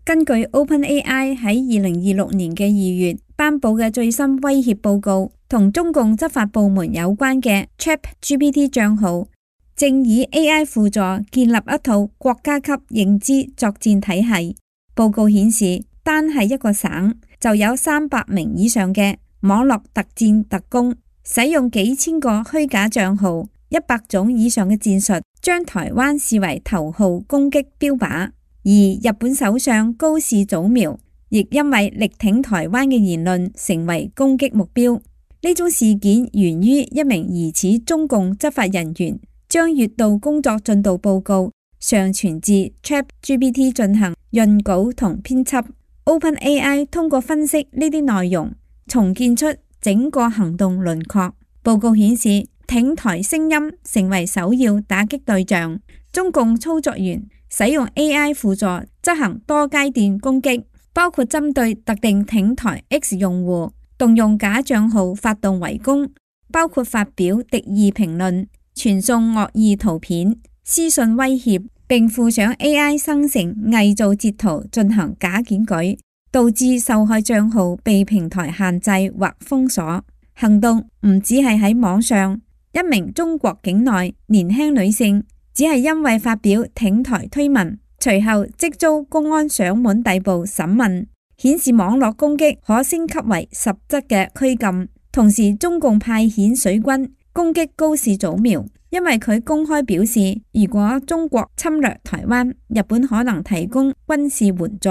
根據 OpenAI 喺2026年嘅2月頒布嘅最新威脅報告，同中共執法部門有關嘅 ChatGPT 帳號，正以 AI 輔助建立一套國家級認知作戰體系。報告顯示，單係一個省就有300名以上嘅網絡特戰特工，使用幾千個虛假帳號，100種以上嘅戰術，將台灣視為頭號攻擊標靶。而日本首相高市早苗亦因為力挺台灣嘅言論成為攻擊目標。呢種事件源於一名疑似中共執法人員將月度工作進度報告上傳至 ChatGPT 進行潤稿同編輯。OpenAI 通過分析呢啲內容，重建出整個行動輪廓。報告顯示，挺台聲音成為首要打擊對象。中共操作員使用 AI 輔助執行多階段攻擊，包括針對特定挺台 X 用戶，動用假賬號發動圍攻，包括發表敵意評論、傳送惡意圖片、私信威脅，並附上 AI 生成偽造截圖進行假檢舉，導致受害賬號被平台限制或封鎖。行動唔只係喺網上，一名中國境內年輕女性只係因為發表挺台推文，隨後即遭公安上門逮捕審問，顯示網絡攻擊可升級為實質嘅拘禁。同時，中共派遣水軍攻擊高市早苗，因為佢公開表示，如果中國侵略台灣，日本可能提供軍事援助。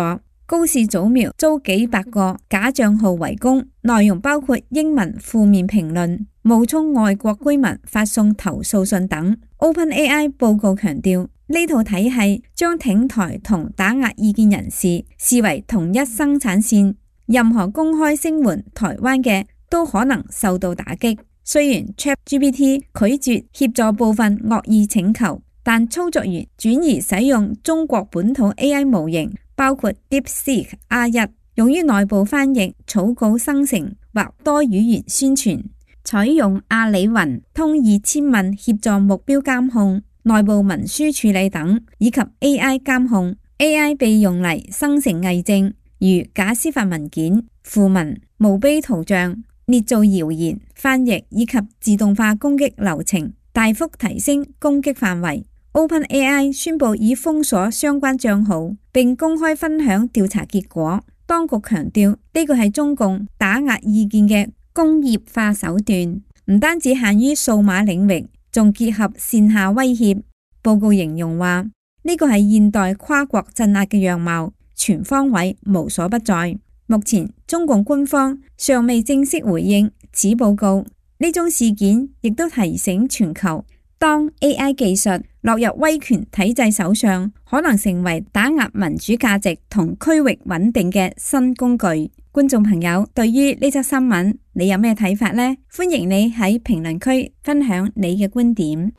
高氏早苗遭幾百個假賬號圍攻，內容包括英文負面評論、冒充外國居民發送投訴信等。OpenAI 報告強調，呢套體系將挺台同打壓意見人士視為同一生產線，任何公開聲援台灣嘅都可能受到打擊。雖然 ChatGPT 拒絕協助部分惡意請求，但操作員轉移使用中國本土 AI 模型，包括 DeepSeek R1，用於內部翻譯、草稿生成或多語言宣傳，採用阿里雲通2000問協助目標監控、內部文書處理等，以及 AI 監控。AI 被用嚟生成偽證，如假司法文件、訃文、墓碑圖像、捏造謠言、翻譯以及自動化攻擊流程，大幅提升攻擊範圍。OpenAI 宣布已封鎖相關賬號，並公開分享調查結果。當局強調呢個係中共打壓意見嘅工業化手段，唔單止限於數碼領域，仲結合線下威脅。報告形容話，呢個係現代跨國鎮壓嘅樣貌，全方位無所不在。目前中共官方尚未正式回應此報告。呢種事件亦都提醒全球，當 AI 技術落入威權體制手上，可能成為打壓民主價值同區域穩定嘅新工具。觀眾朋友，對於呢則新聞，你有咩睇法呢？歡迎你喺評論區分享你嘅觀點。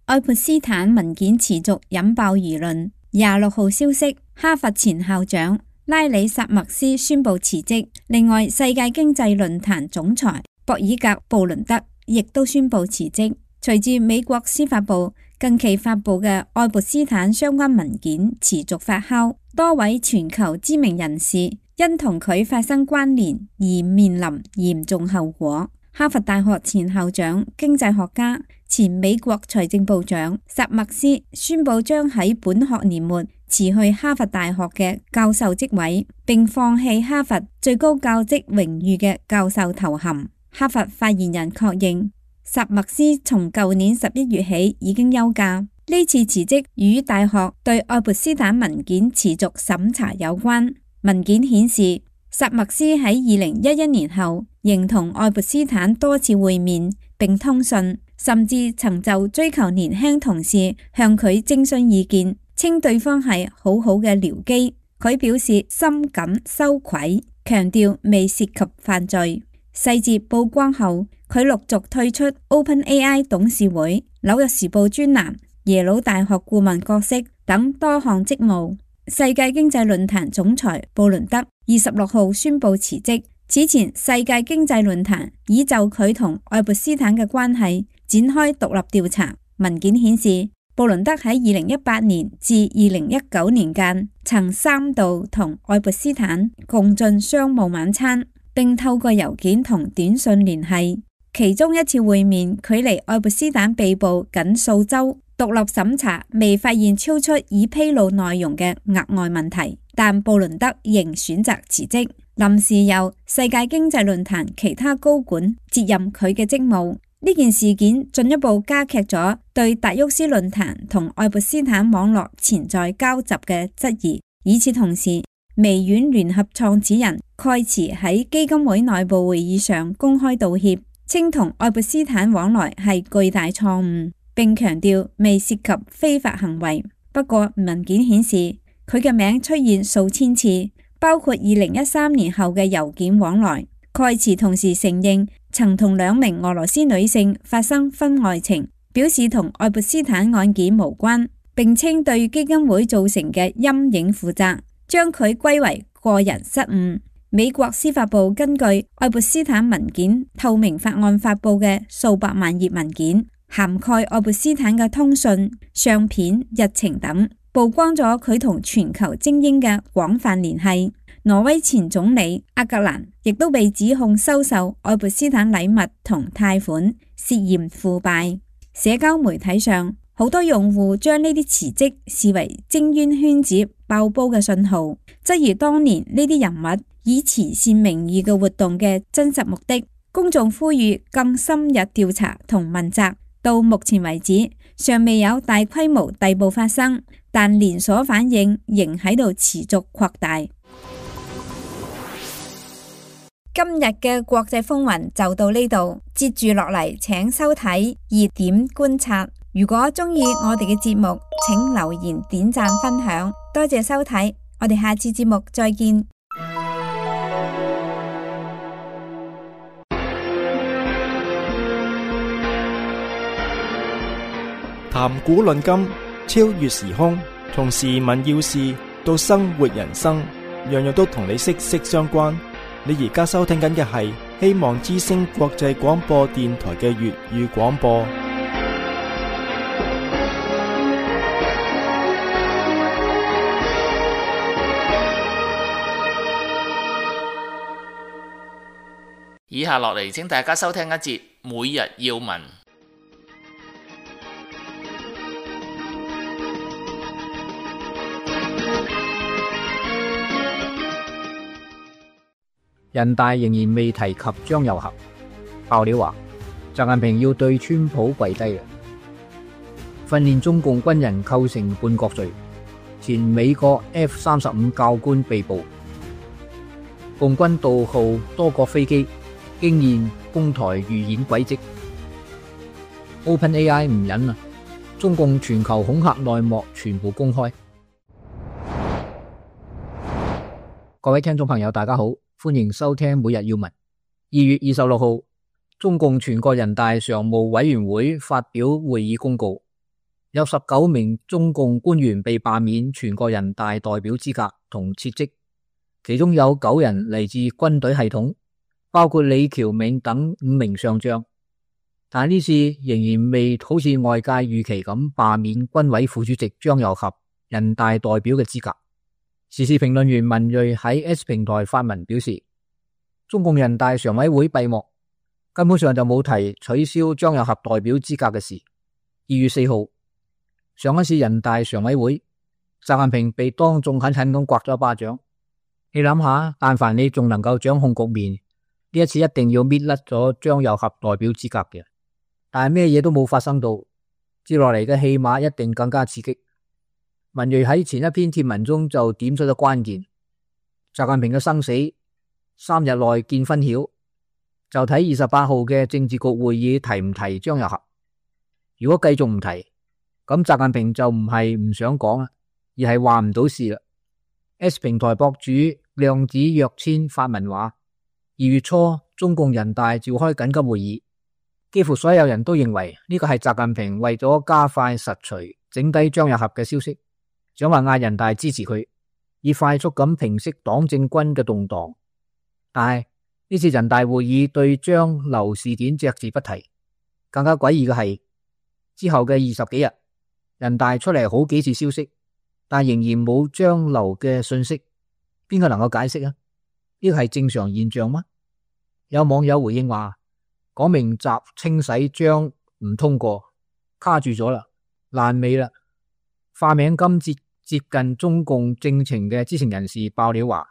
愛潑斯坦文件持續引爆輿論。26號消息，哈佛前校長拉里薩默斯宣布辭職。另外，世界經濟論壇總裁博爾格布倫德亦都宣布辭職。隨住美國司法部近期發布嘅愛潑斯坦相關文件持續發酵，多位全球知名人士因同佢發生關聯而面臨嚴重後果。哈佛大學前校長、經濟學家、前美國財政部長薩默斯宣布將喺本學年末辭去哈佛大學嘅教授職位，並放棄哈佛最高教職榮譽嘅教授頭銜。哈佛發言人確認，薩默斯從舊年11月起已經休假。呢次辭職與大學對愛潑斯坦文件持續審查有關。文件顯示，薩默斯喺2011年後仍同愛潑斯坦多次會面並通訊，甚至曾就追求年輕同事向佢徵詢意見，稱對方係好好嘅僚機。佢表示深感羞愧，強調未涉及犯罪。細節曝光後，佢陸續退出 OpenAI 董事會、紐約時報專欄、耶魯大學顧問角色等多項職務。世界經濟論壇總裁布倫德26號宣布辭職。此前，世界經濟論壇已就佢同愛潑斯坦嘅關係展開獨立調查。文件顯示，布倫德喺2018年至2019年間曾3度同愛潑斯坦共進商務晚餐，並透過郵件同短信聯繫。其中一次會面距離愛潑斯坦被捕僅數週，獨立審查未發現超出已披露內容嘅額外問題，但布倫德仍選擇辭職，臨時由世界經濟論壇其他高管接任佢嘅職務。呢件事件進一步加劇咗對達沃斯論壇同愛潑斯坦網絡潛在交集嘅質疑。與此同時，微軟聯合創始人蓋茨喺基金會內部會議上公開道歉，稱同愛潑斯坦往來係巨大錯誤，並強調未涉及非法行為。不過文件顯示，佢嘅名出現數千次，包括2013年後嘅郵件往來。蓋茨同時承認曾同2名俄羅斯女性發生婚外情，表示同愛潑斯坦案件無關，並稱對基金會造成嘅陰影負責，將佢歸為個人失誤。美國司法部根據愛潑斯坦文件透明法案發布嘅數百萬頁文件，涵蓋愛潑斯坦嘅通訊、相片、日程等，曝光咗佢同全球精英嘅廣泛聯繫。挪威前總理阿格蘭亦都被指控收受愛潑斯坦禮物同貸款，涉嫌腐敗。社交媒體上，好多用戶將呢啲辭職視為精英圈子爆煲嘅信號，質疑當年呢啲人物以慈善名義嘅活動嘅真實目的。公眾呼籲更深入調查同問責。到目前為止，尚未有大規模逮捕發生，但連鎖反應仍喺度持續擴大。今日嘅國際風雲就到呢度，接住落嚟請收睇熱點觀察。如果鍾意我哋嘅節目，請留言、點讚、分享，多謝收睇，我哋下次節目再見。談古論今，超越時空，從時聞要事到生活人生，樣樣都同你息息相關。你而家收聽緊嘅係希望之聲國際廣播電台嘅粵語廣播。以下落嚟，請大家收聽一節每日要聞。人大仍然未提及張又俠，爆料話習近平要對川普跪低啦。訓練中共軍人構成叛國罪，前美國 F-35教官被捕。共軍盜號多國飛機，驚現攻台預演軌跡。OpenAI 唔忍啦，中共全球恐嚇內幕全部公開。各位聽眾朋友，大家好。歡迎收聽每日要聞。2月26號，中共全國人大常務委員會發表會議公告，有19名中共官員被罷免全國人大代表資格同撤職，其中有9人嚟自軍隊系統，包括李橋銘等5名上將。但呢次仍然未好似外界預期咁罷免軍委副主席張又俠人大代表嘅資格。時事評論員文銳喺 S 平台發文表示，中共人大常委會閉幕，根本上就冇提取消張又俠代表資格嘅事。2月4號，上一次人大常委會，習近平被當眾狠狠咁刮咗一巴掌。你諗下，但凡你仲能夠掌控局面，呢一次一定要搣甩咗張又俠代表資格嘅。但係咩嘢都冇發生到，接落嚟嘅戲碼一定更加刺激。文銳喺前一篇貼文中就點出咗關鍵，習近平嘅生死3日內見分曉，就睇28號嘅政治局會議提唔提張又俠。如果繼續唔提，咁習近平就唔係唔想講啊，而係話唔到事啦。S 平台博主量子躍遷發文話，2月初中共人大召開緊急會議，幾乎所有人都認為呢個係習近平為咗加快實除整低張又俠嘅消息，想話嗌人大支持佢，以快速咁平息黨政軍嘅動盪。但係呢次人大會議對張劉事件隻字不提，更加詭異嘅係之後嘅20幾日，人大出嚟好幾次消息，但仍然冇張劉嘅信息，邊個能夠解釋啊？呢個係正常現象嗎？有網友回應話，講明習清洗張唔通過，卡住咗啦，爛尾啦。化名金接近中共政情嘅知情人士爆料話，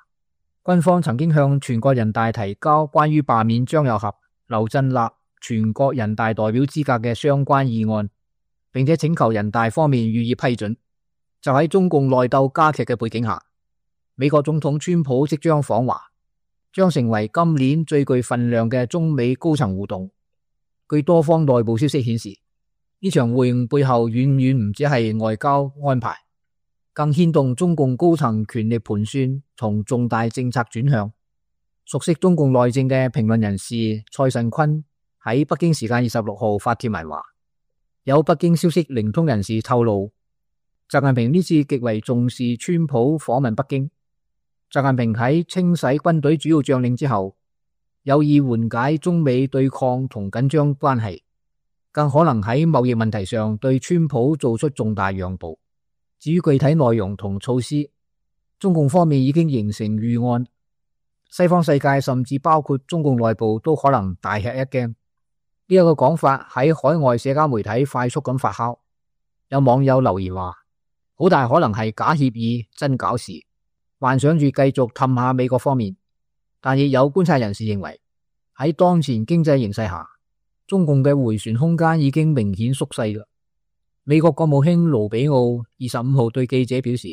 軍方曾經向全國人大提交關於罷免張又俠、劉振立全國人大代表資格嘅相關議案，並且請求人大方面予以批准。就喺中共內鬥加劇嘅背景下，美國總統川普即將訪華，將成為今年最具分量嘅中美高層互動。據多方內部消息顯示，呢場會晤背後遠遠唔止係外交安排，更牽動中共高層權力盤算同重大政策轉向。熟悉中共內政嘅評論人士蔡慎坤喺北京時間26號發帖文話，有北京消息靈通人士透露，習近平呢次極為重視川普訪問北京。習近平喺清洗軍隊主要將領之後，有意緩解中美對抗同緊張關係，更可能喺貿易問題上對川普做出重大讓步。至於具體內容同措施，中共方面已經形成預案，西方世界甚至包括中共內部都可能大吃一驚。呢一個講法喺海外社交媒體快速咁發酵，有網友留言話，好大可能係假協議真搞事，幻想住繼續氹下美國方面。但亦有觀察人士認為，喺當前經濟形勢下，中共嘅回旋空間已經明顯縮細啦。美國國務卿盧比奧25號對記者表示，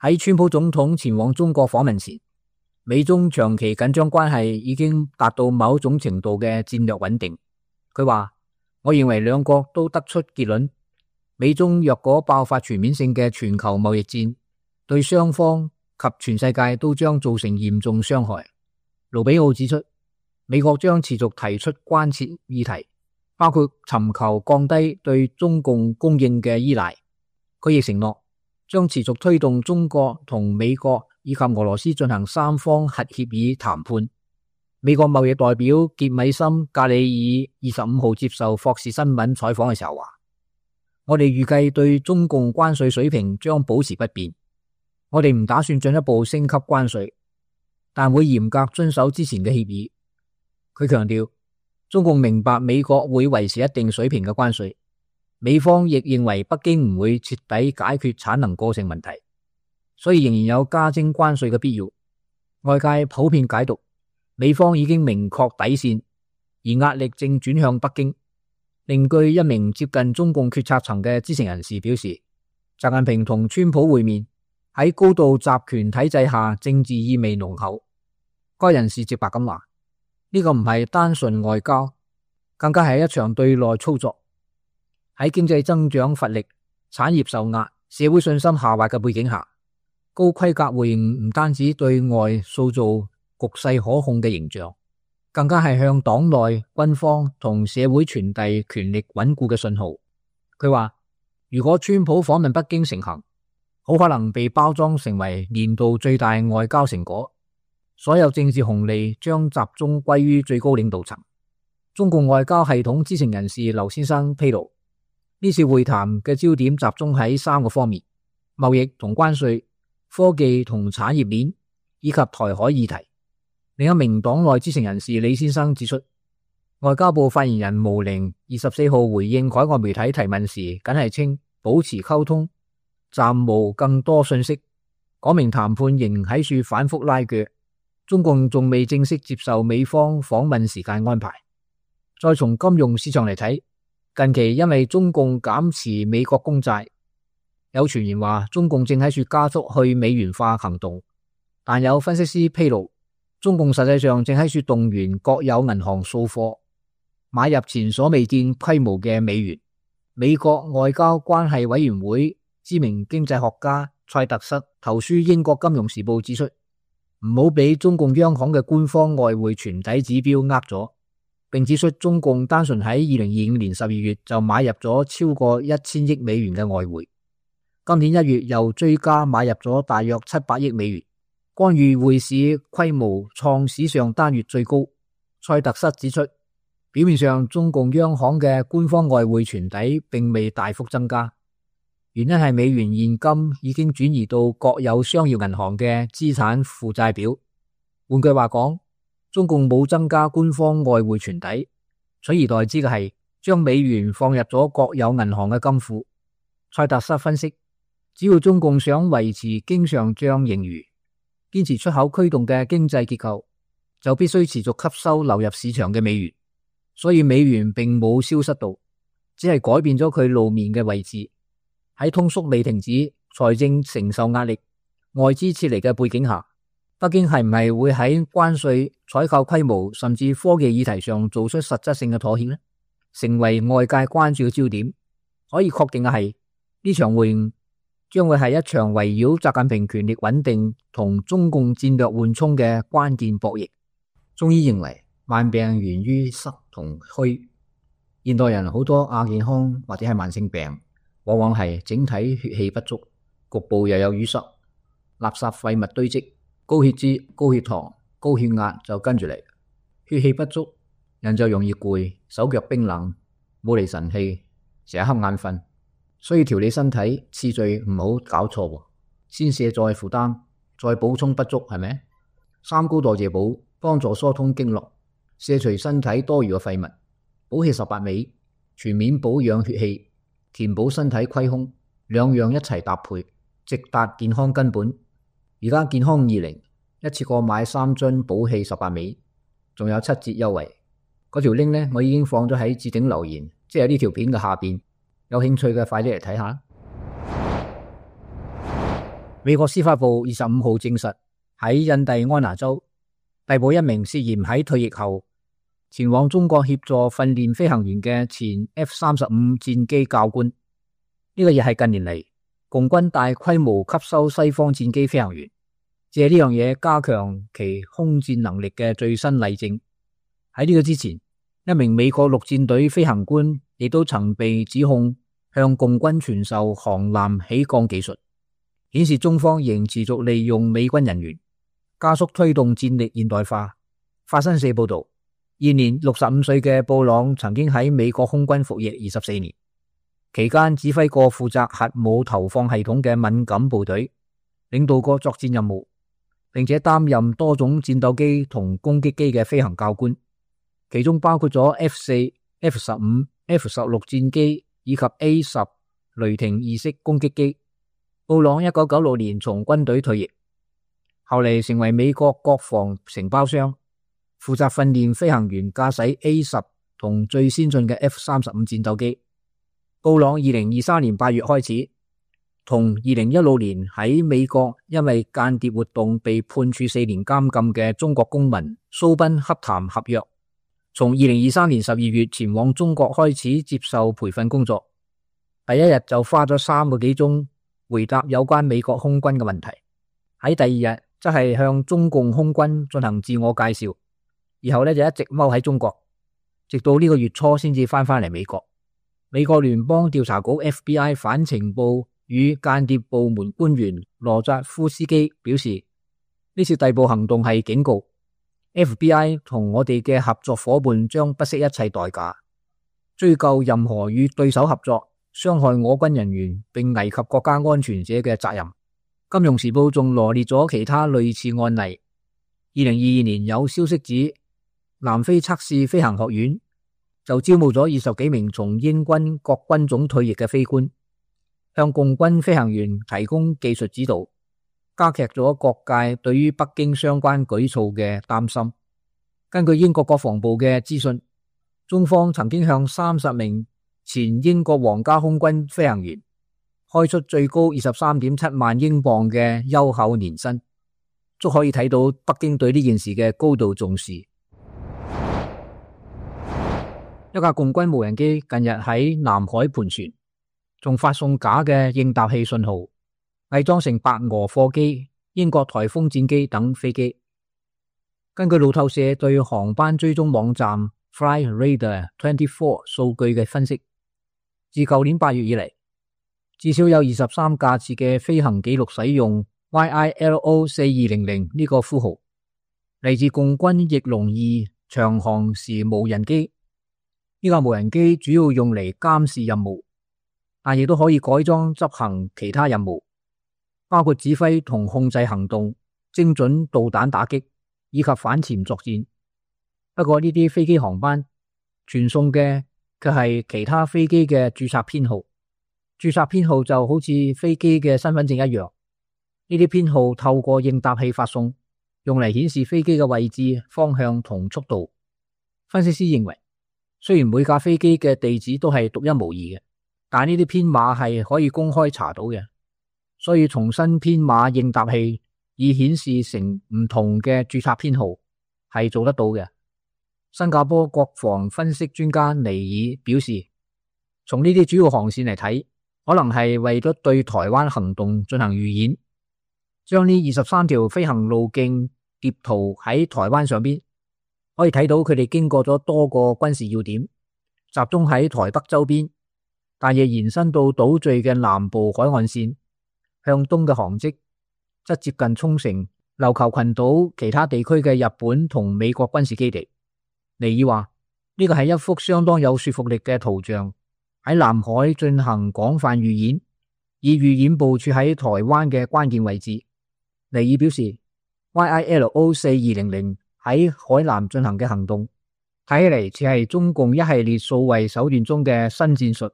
喺川普總統前往中國訪問前，美中長期緊張關係已經達到某種程度嘅戰略穩定。佢話：我認為兩國都得出結論，美中若果爆發全面性嘅全球貿易戰，對雙方及全世界都將造成嚴重傷害。盧比奧指出，美國將持續提出關切議題，包括尋求降低對中共供應嘅依賴。佢亦承諾將持續推動中國同美國以及俄羅斯進行三方核協議談判。美國貿易代表傑米森格里爾25號接受霍士新聞採訪嘅時候話：我哋預計對中共關稅水平將保持不變，我哋唔打算進一步升級關稅，但會嚴格遵守之前嘅協議。佢強調，中共明白美國會維持一定水平嘅關稅，美方亦認為北京唔會徹底解決產能過剩問題，所以仍然有加徵關稅嘅必要。外界普遍解讀美方已經明確底線，而壓力正轉向北京。另據一名接近中共決策層嘅知情人士表示，習近平同川普會面喺高度集權體制下，政治意味濃厚。該人士直白咁話：呢個唔係單純外交，更加係一場對內操作。喺經濟增長乏力、產業受壓、社會信心下滑嘅背景下，高規格會晤唔單止對外塑造局勢可控嘅形象，更加係向黨內軍方同社會傳遞權力穩固嘅信號。佢話：如果川普訪問北京成行，好可能被包裝成為年度最大外交成果，所有政治紅利將集中歸於最高領導層。中共外交系統知情人士劉先生披露，呢次會談嘅焦點集中喺3個方面：貿易同關稅、科技同產業鏈以及台海議題。另一名黨內知情人士李先生指出，外交部發言人毛寧24號回應海外媒體提問時，僅係稱保持溝通，暫無更多信息，講明談判仍喺處反覆拉鋸，中共仲未正式接受美方訪問時間安排。再從金融市場嚟睇，近期因為中共減持美國公債，有傳言話中共正喺處加速去美元化行動，但有分析師披露，中共實際上正喺處動員國有銀行掃貨，買入前所未見規模嘅美元。美國外交關係委員會知名經濟學家蔡特塞投書英國金融時報指出，唔好俾中共央行嘅官方外匯存底指標呃咗，並指出中共單純喺2025年12月就買入咗超過1000億美元嘅外匯，今年1月又追加買入咗大約700億美元，干預匯市規模創史上單月最高。蔡特塞指出，表面上中共央行嘅官方外匯存底並未大幅增加，原因係美元現金已經轉移到國有商業銀行嘅資產負債表。換句話講，中共冇增加官方外匯存底，取而代之嘅係將美元放入咗國有銀行嘅金庫。蔡特塞分析，只要中共想維持經常賬盈餘，堅持出口驅動嘅經濟結構，就必須持續吸收流入市場嘅美元。所以美元並冇消失到，只係改變咗佢露面嘅位置。喺通縮未停止、財政承受壓力、外資撤離嘅背景下，北京係唔係會喺關稅、採購規模甚至科技議題上做出實質性嘅妥協呢？成為外界關注嘅焦點。可以確定嘅係，呢場會晤將會係一場圍繞習近平權力穩定同中共戰略緩衝嘅關鍵博弈。中醫認為，萬病源於濕同虛。現代人好多亞健康或者係慢性病，往往係整體血氣不足，局部又有淤塞，垃圾廢物堆積，高血脂、高血糖、高血壓就跟住嚟。血氣不足，人就容易攰，手腳冰冷，冇嚟神氣，成日瞌眼瞓。所以調理身體次序唔好搞錯，先卸載負擔，再補充不足，係咪？三高代謝補幫助疏通經絡，卸除身體多餘嘅廢物，補氣18味，全面保養血氣，填補身體虧空，兩樣一齊搭配，直達健康根本。而家健康20一次過買3樽補氣18味，仲有7折優惠。嗰條 link 呢，我已經放咗喺置頂留言，即係呢條片嘅下邊。有興趣嘅快啲嚟睇下。美國司法部25號證實喺印第安納州逮捕一名涉嫌喺退役後前往中國協助訓練飛行員嘅前 F-35 戰機教官。呢個亦係近年嚟共軍大規模吸收西方戰機飛行員，借呢樣嘢加強其空戰能力嘅最新例證。喺呢個之前，一名美國陸戰隊飛行官亦都曾被指控向共軍傳授航艦起降技術，顯示中方仍持續利用美軍人員加速推動戰力現代化。法新社報道，現年65歲嘅布朗曾經喺美國空軍服役24年，期間指揮過負責核武投放系統嘅敏感部隊，領導過作戰任務，並且擔任多種戰鬥機同攻擊機嘅飛行教官，其中包括咗 F4、F15、F16 戰機以及 A10 雷霆2式攻擊機。布朗1996年從軍隊退役，後嚟成為美國國防承包商，負責訓練飛行員駕駛 A10 同最先進嘅 F35 戰鬥機。布朗2023年8月開始，同2016年喺美國因為間諜活動被判處4年監禁嘅中國公民蘇賓洽談合約，從2023年12月前往中國開始接受培訓工作。第一日就花咗3個幾鐘回答有關美國空軍嘅問題，喺第二日則係向中共空軍進行自我介紹，然後就一直踎喺中國，直到呢個月初先至翻嚟美國。美國聯邦調查局 FBI 反情報與間諜部門官員羅扎夫斯基表示，呢次逮捕行動係警告 FBI 同我哋嘅合作伙伴將不惜一切代價追究任何與對手合作傷害我軍人員並危及國家安全者嘅責任。金融時報仲羅列咗其他類似案例。2022年有消息指，南非測試飛行學院就招募咗20幾名從英軍各軍種退役嘅飛官，向共軍飛行員提供技術指導，加劇咗各界對於北京相關舉措嘅擔心。根據英國國防部嘅資訊，中方曾經向30名前英國皇家空軍飛行員開出最高 23.7 萬英鎊嘅優厚年薪，足可以睇到北京對呢件事嘅高度重視。一架共軍無人機近日喺南海盤旋，仲發送假嘅應答器信號，偽裝成白俄貨機、英國颱風戰機等飛機。根據路透社對航班追蹤網站 Flightradar24 數據嘅分析，自舊年8月以嚟，至少有23架次嘅飛行記錄使用 YILO4200 呢個呼號，嚟自共軍翼龍2長航時無人機。呢架無人機主要用嚟監視任務，但亦都可以改裝執行其他任務，包括指揮同控制行動、精準導彈打擊以及反潛作戰。不過呢啲飛機航班傳送嘅卻係其他飛機嘅註冊編號，註冊編號就好似飛機嘅身份證一樣。呢啲編號透過應答器發送，用嚟顯示飛機嘅位置、方向同速度。分析師認為，雖然每架飛機嘅地址都係獨一無二嘅，但呢啲編碼係可以公開查到嘅，所以重新編碼應答器以顯示成唔同嘅註冊編號係做得到嘅。新加坡國防分析專家尼爾表示，從呢啲主要航線嚟睇，可能係為咗對台灣行動進行預演，將呢23條飛行路徑疊圖喺台灣上邊，可以睇到佢哋經過咗多個軍事要點，集中喺台北周邊，但亦延伸到島嶼嘅南部海岸線，向東嘅航跡則接近沖繩、琉球群島其他地區嘅日本同美國軍事基地。尼爾話，呢個係一幅相當有說服力嘅圖像，喺南海進行廣泛預演，以預演部署喺台灣嘅關鍵位置。尼爾表示， YILO4200 喺海南進行嘅行動，睇起嚟似係中共一系列數位手段中嘅新戰術。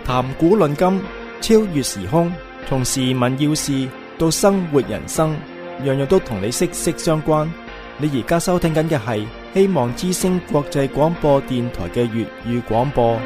談古論今，超越時空，從時聞要事到生活人生，樣樣都同你息息相關。你而家收聽緊嘅係希望之聲國際廣播電台嘅粵語廣播。